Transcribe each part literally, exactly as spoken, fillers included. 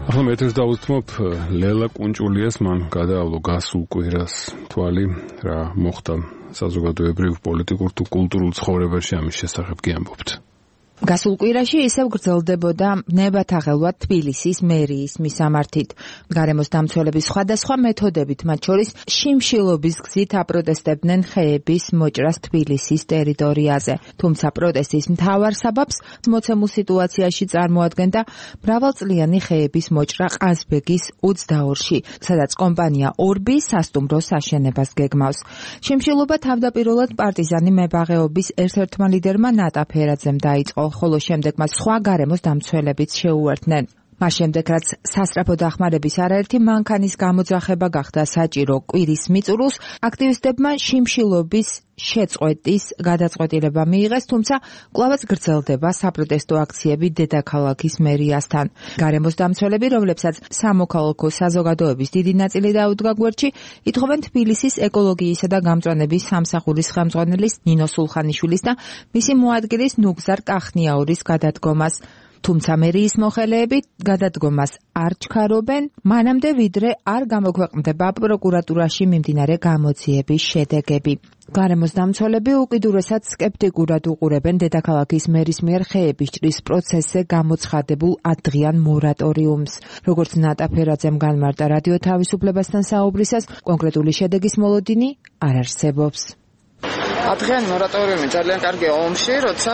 ახლა მეთერს დავუთმობ ლელა კუნჭულიას, მან გადაავლო გასულ კვირას თვალი, რა მოხდა საზოგადოებრივ, პოლიტიკურ თუ კულტურულ ცხოვრებაში, ამის შესახებ გიამბობთ. გასულ კვირაში ისევ გრძელდებოდა ნებათაღელვა თბილისის მერიის მისამართით. გარემოს დამცველების სხვადასხვა მეთოდებით, მათ შორის შიმშილობის გზით აპროტესტებდნენ ხეების მოჭრას თბილისის ტერიტორიაზე. თუმცა პროტესტის მთავარ საბაბს მოცემულ სიტუაციაში წარმოადგენდა მრავალწლიანი ხეების მოჭრა ყაზბეგის ოცდაორში, სადაც კომპანია ორბი სასტუმროს აშენებას გეგმავს. შიმშილობა თავდაპირველად პარტიზანი მებაღეობის ერთ-ერთმა ლიდერმა ნატა ფერაძემ დაიწყო, ხოლო შემდეგ მას სხვა გარემოს დამცველებიც შეუერთდნენ. მას შემდეგ, რაც სასწრაფო დახმარების არაერთი მანქანის გამოძახება გახდა საჭირო კვირის მიწურულს, აქტივისტებმა შიმშილობის შეწყვეტის გადაწყვეტილება მიიღეს, თუმცა კვლავაც გრძელდება საპროტესტო აქციები დედაქალაქის მერიასთან. გარემოს დამცველები, რომლებსაც სამოქალაქო საზოგადოების დიდი ნაწილი დაუდგა გვერდში, ითხოვენ თბილისის ეკოლოგიისა და გამწვანების სამსახურის ხელმძღვანელის ნინო სულხანიშვილის და მისი მოადგილის ნუგზარ კახნიაურის გადადგომას. თუმცა მერიის მოხელეები გადადგომას არ ჩქარობენ, მანამდე ვიდრე არ გამოქვეყნდება პროკურატურაში მიმდინარე გამოძიების შედეგები. გარემოს დამცველები უკიდურესად სკეპტიკურად უყურებენ დედაქალაქის მერის მიერ ხეების ჭრის პროცესზე გამოცხადებულ ათდღიან მორატორიუმს. როგორც ნატა ფერაძემ განმარტა რადიო თავისუფლებასთან საუბრისას, კონკრეტული შედეგის მოლოდინი არ არსებობს. ათდღიანი მორატორიუმი ძალიან კარგია ომში, როცა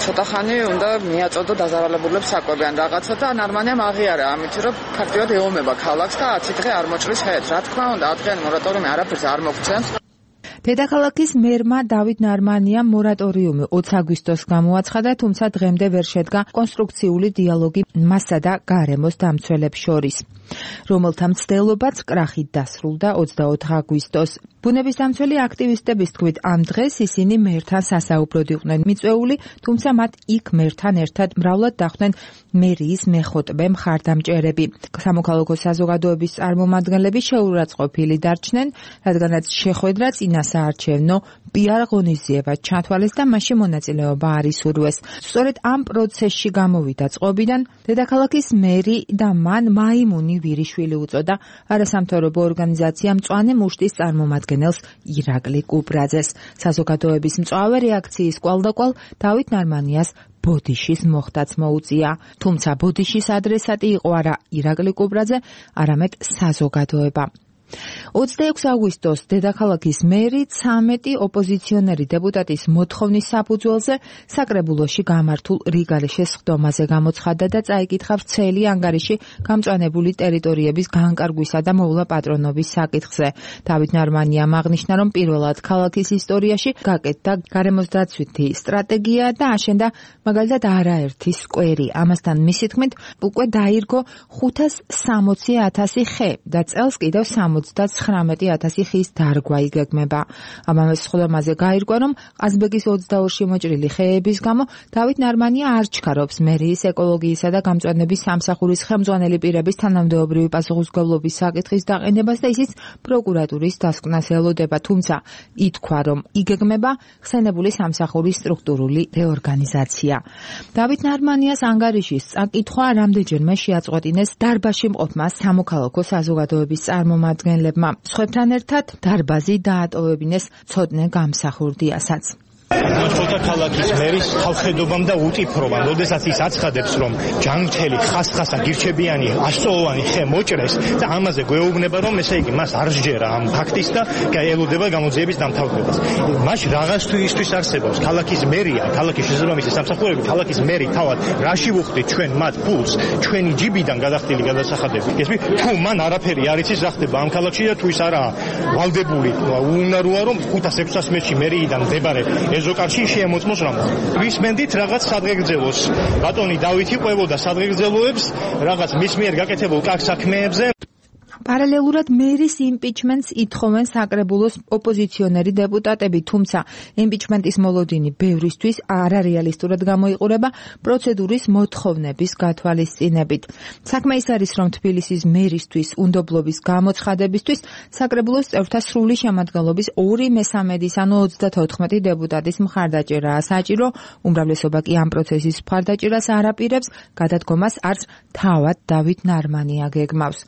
ცოტა ხანი უნდა მიაწოდო დაზარალებულებს საკვები ან რაღაცა და ნარმანიამ აღიარა, ამით რომ ფაქტიურად ეომება ქალაქს და ათი დღე არ მოჭრის ხეებს. რა თქმა უნდა, ათდღიანი მორატორიუმი არაფერს არ მოგცემს. დედაქალაქის მერმა დავით ნარმანიამ მორატორიუმი ოცი აგვისტოს გამოაცხადა, თუმცა დღემდე ვერ შედგა კონსტრუქციული დიალოგი მასსა და გარემოს დამცველებს შორის, რომელთა მცდელობაც კრახით დასრულდა ოცდაოთხი აგვისტოს. ბუნების დამცველი აქტივისტების თქმით, ამ დღეს ისინი მერთან სასაუბროდ იყვნენ მიწვეული, თუმცა მათ იქ მერთან ერთად მრავლად დახვდნენ მერიის მეხოტბე მხარდამჭერები. სამოქალაქო საზოგადოების წარმომადგენლები შეურაცხყოფილი დარჩნენ, რადგანაც შეხვედრა წინასაარჩევნო პიარ ღონისძიება ჩათვალეს და მასში მონაწილეობა არ ისურვეს. სწორედ ამ პროცესში გამოვიდა წყობიდან დედაქალაქის მერი და მან მაიმუნი ვირიშვილი უწოდა არასამთავრობო ორგანიზაცია მწვანე მუშტის წარმომადგენელს ირაკლი კუპრაძეს. საზოგადოების მწვავე რეაქციის კვალდაკვალ დავით ნარმანიას ბოდიშის მოხდაც მოუწია. თუმცა ბოდიშის ადრესატი იყო არა ირაკლი კუპრაძე, არამედ საზოგადოება. ოცდაექვსი აგვისტოს დედაქალაქის მერი ცამეტი ოპოზიციონერი დეპუტატის მოთხოვნის საფუძველზე საკრებულოში გამართულ რიგარეშეს სხდომაზე გამოცხადდა და წაიკითხა ვრცელი ანგარიში გამწვანებული ტერიტორიების განკარგვისა და მოვლა პატრონობის საკითხზე. დავით ნარმანიამ აღნიშნა, რომ პირველად ქალაქის ისტორიაში გაკეთდა გარემოს დაცვითი სტრატეგია და აშენდა მაგალითად არაერთი სკვერი. ამასთან მისი თქმით, უკვე დაირგო ხუთას სამოცი ათასი ხე და წელს კიდევ ოცდაცხრამეტი ათასი ხის დარგვა იგეგმება. ამავე სხდომაზე გაირკვა, რომ ყაზბეგის ოცდაორში მოჭრილი ხეების გამო დავით ნარმანია არ ჩქარობს მერიის ეკოლოგიისა და გამწვანების სამსახურის ხელმძღვანელი პირების თანამდებობრივი პასუხისმგებლობის საკითხის დაყენებას და ისიც პროკურატურის დასკვნას ელოდება, თუმცა ითქვა, რომ იგეგმება ხსენებული სამსახურის სტრუქტურული რეორგანიზაცია. დავით ნარმანიას ანგარიშის წაკითხვა რამდენჯერმე შეაწყვეტინეს დარბაზში მყოფმა სამოქალაქო საზოგადოების წარმომადგენლებმა. სხვებთან ერთად დარბაზი დაატოვებინეს ცოტნე გამსახურდიასაც. ცოტა ქალაქის მერის ხალხედობამ და უტიფრობამ, როდესაც ის აცხადებს, რომ ჯანმრთელი ხასხასა გირჩებიანი ასწლოვანი ხე მოჭრეს და ამაზე გვეუბნება, რომ ესე იგი მას არ სჯერა ამ ფაქტის და ელოდება გამოძიების დამთავრებას. მაშ რაღაც თუ ისთვის არსებობს ქალაქის მერია, ქალაქის შესაბამისი სამსახურები, ქალაქის მერი თავად რაში ვუხდით ჩვენ მათ ფულს, ჩვენი ჯიბიდან გადახდილი გადასახადები. ესმი თუ მან არაფერი არ იცის რა ხდება ამ ქალაქში და თუ ის არაა ვალდებული, უნაროა რომ ხუთას ექვსას მეტრში მერიიდან მდებარე ეზოკარში შეემოწმოს რამო. ვისმენდით რაღაც სადღეგრძელოს. ბატონი დავითი ყვებოდა სადღეგრძელოებს რაღაც მის მიერ გაკეთებულ კარგ საქმეებზე. პარალელურად მერის იმპიჩმენტს ითხოვენ საკრებულოს ოპოზიციონერი დეპუტატები, თუმცა იმპიჩმენტის მოლოდინი ბევრისთვის არარეალისტურად გამოიყურება პროცედურის მოთხოვნების გათვალისწინებით. საქმე ის არის, რომ თბილისის მერისთვის უნდობლობის გამოცხადებისთვის საკრებულოს წევრთა სრული შემადგენლობის ორი მესამედის, ანუ ოცდათოთხმეტი დეპუტატის მხარდაჭერაა საჭირო, უმრავლესობა კი ამ პროცესის მხარდაჭერას არ აპირებს, გადადგომას არც თავად დავით ნარმანია გეგმავს.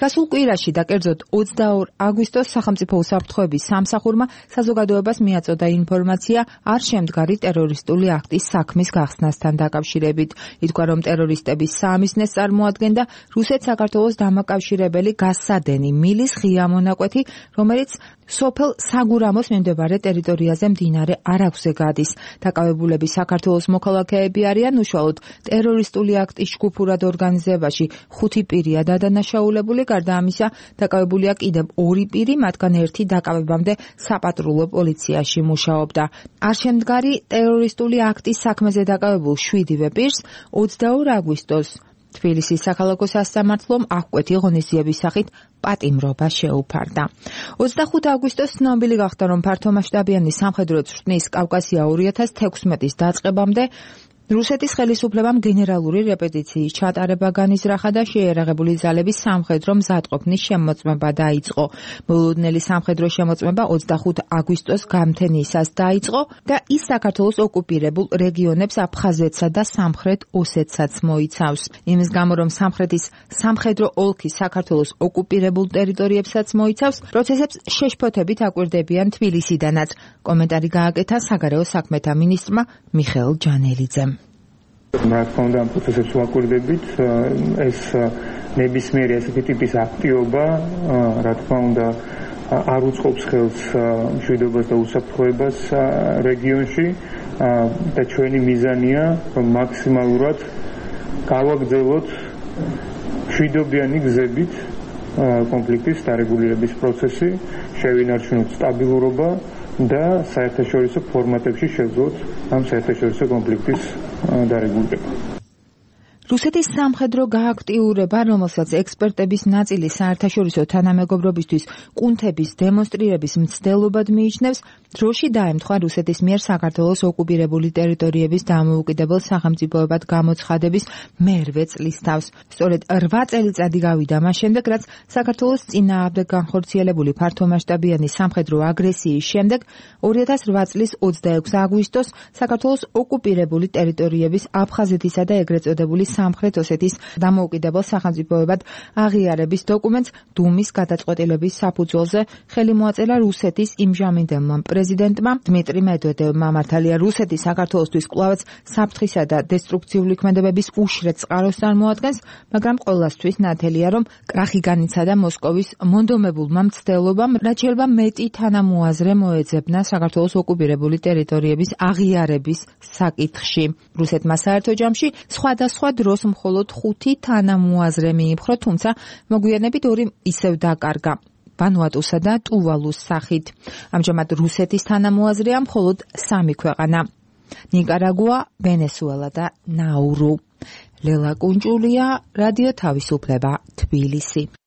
გასულ კვირაში და კერძოდ ოცდაორ აგვისტოს სახელმწიფო უსაფრთხოების სამსახურმა საზოგადოებას მიაწოდა ინფორმაცია არ შემდგარი ტერორისტული აქტის საქმის გახსნასთან დაკავშირებით. ითქვა, რომ ტერორისტების საამისნეს წარმოადგენდა რუსეთ-საქართველოს დამაკავშირებელი გასადენი მილის ღია მონაკვეთი, რომელიც სოფელ საგურამოს მიმდებარე ტერიტორიაზე მდინარე არაგვზე გადის. დაკავებულები საქართველოს მოქალაქეები არიან, უშუალოდ ტერორისტული აქტის ჯგუფურად ორგანიზებაში ხუთი პირია დადანაშაულებული, გარდა ამისა დაკავებულია კიდევ ორი პირი, მათგან ერთი დაკავებამდე საპატრულო პოლიციაში მუშაობდა. არ შემდგარი ტერორისტული აქტის საქმეზე დაკავებულ შვიდივე პირს ოცდაორ აგვისტოს თბილისის საქალაქო სასამართლომ აღკვეთი ღონისძიების სახით პატიმრობა შეუფარდა. ოცდახუთი აგვისტოს ცნობილი გახდა, რომ ფართომასშტაბიანი სამხედრო წვრთნის კავკასია ორი ათას თექვსმეტის დაწყებამდე რუსეთის ხელისუფლებამ გენერალური რეპეტიციის ჩატარება განიზრახა და შეიარაღებული ძალების სამხედრო მზადყოფნის შემოწმება დაიწყო. მოულოდნელი სამხედრო შემოწმება ოცდახუთი აგვისტოს გამთენიისას დაიწყო და ის საქართველოს ოკუპირებულ რეგიონებს აფხაზეთსა და სამხრეთ ოსეთსაც მოიცავს. იმის გამო, რომ სამხრეთის სამხედრო ოლქი საქართველოს ოკუპირებულ ტერიტორიებსაც მოიცავს, პროცესებს შეშფოთებით აკვირდებიან თბილისიდანაც. კომენტარი გააკეთა საგარეო საქმეთა მინისტრმა მიხეილ ჯანელიძემ. რა თქმა უნდა, ამ პროცესებს ვაკვირდებით, ეს ნებისმიერი ასეთი ტიპის აქტივობა, რა თქმა უნდა, არ უწყობს ხელს მშვიდობას და უსაფრთხოებას რეგიონში და ჩვენი მიზანია, რომ მაქსიმალურად გავაგრძელოთ მშვიდობიანი გზებით კონფლიქტის დარეგულირების პროცესი, შევინარჩუნოთ სტაბილურობა და საერთაშორისო ფორმატებში შევძლოთ ამ საერთაშორისო კონფლიქტის დარეგულირება. რუსეთის სამხედრო გააქტიურება, რომელსაც ექსპერტების ნაწილი საერთაშორისო თანამეგობრობისთვის კუნთების დემონსტრირების მცდელობად მიიჩნევს, დროში დაემთხვა რუსეთის მიერ საქართველოს ოკუპირებული ტერიტორიების დამოუკიდებელ სახელმწიფოებად გამოცხადების მერვე წლის თავს. სწორედ რვა წელიწადი გავიდა მას შემდეგ, რაც საქართველოს წინააღმდეგ განხორციელებული ფართომასშტაბიანი სამხედრო აგრესიის შემდეგ ორი ათას რვა წლის ოცდაექვსი აგვისტოს საქართველოს ოკუპირებული ტერიტორიების აფხაზეთისა და ეგრეთ წოდებული სამხრეთ ოსეთის დამოუკიდებელ სახელმწიფოებად აღიარების დოკუმენტს დუმის გადაწყვეტილების საფუძველზე ხელი მოაწერა რუსეთის იმჟამინდელმა პრეზიდენტმა დმიტრი მედვედევმა. მართალია რუსეთი საქართველოსთვის კვლავაც საფრთხისა და დესტრუქციული ქმედებების უშრეთ წყაროს წარმოადგენს, მაგრამ ყველასთვის ნათელია, რომ კრახი განიცადა მოსკოვის მონდომებულმა მცდელობამ, რაც შეიძლება მეტი თანამოაზრე მოეძებნა საქართველოს ოკუპირებული ტერიტორიების აღიარების საკითხში. რუსეთმა საერთო ჯამში სხვადასხვა დროს მხოლოდ ხუთი თანამოაზრე მიიპხრო, თუმცა მოგვიანებით ორი ისევ დაკარგა. ვანუატუსა და ტუვალუს სახით. ამჟამად რუსეთის თანამოაზრეა მხოლოდ სამი ქვეყანა: ნიკარაგუა, ვენესუელა და ნაურუ. ლელა კუნჭულია, რადიო თავისუფლება, თბილისი.